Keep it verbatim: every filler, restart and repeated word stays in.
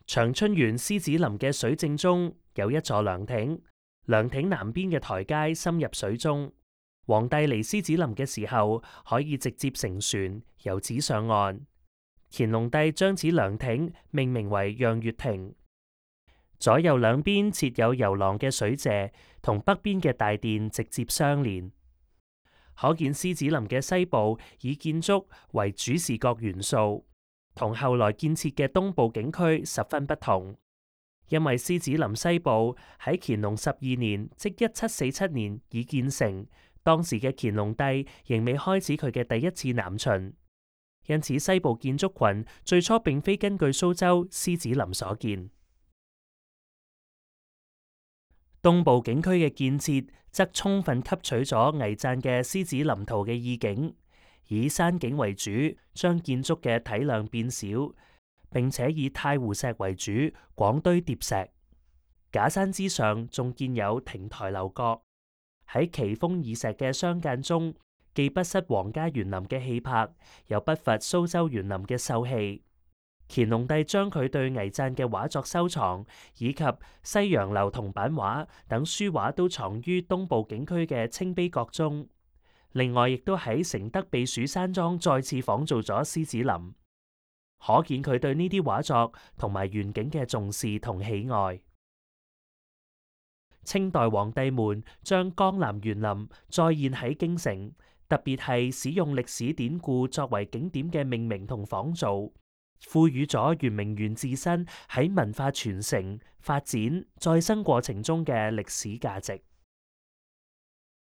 長春縣獅子林嘅水正中有一座涼亭，涼亭南邊嘅台階深入水中。皇帝嚟獅子林嘅時候，可以直接乘船由此上岸。乾隆帝將此涼亭命名為讓月亭，左右兩邊設有遊廊嘅水榭，同北邊嘅大殿直接相連。可見獅子林嘅西部以建築為主視覺元素，同後來建設嘅東部景區十分不同。因為獅子林西部喺乾隆十二年，即一七四七年已建成，當時嘅乾隆帝仍未開始佢嘅第一次南巡，因此西部建築群最初並非根據蘇州獅子林所建。東部景區嘅建設則充分吸取咗倪瓚嘅獅子林圖嘅意境，以山景為主，將建築嘅體量變小，並且以太湖石為主，廣堆疊石。假山之上仲建有亭台樓閣，喺奇峰異石嘅相間中，既不失皇家園林嘅氣魄，又不乏蘇州園林嘅秀氣。乾隆帝將佢對倪瓚嘅畫作收藏，以及西洋樓銅版畫等書畫都藏於東部景區嘅清碑閣中。另外，亦都喺承德避暑山莊再次仿造咗獅子林，可見佢對呢啲畫作同埋園景嘅重視同喜愛。清代皇帝們將江南園林再現喺京城，特別係使用歷史典故作為景點嘅命名同仿造，賦予咗圓明園自身喺文化傳承、發展、再生過程中嘅歷史價值。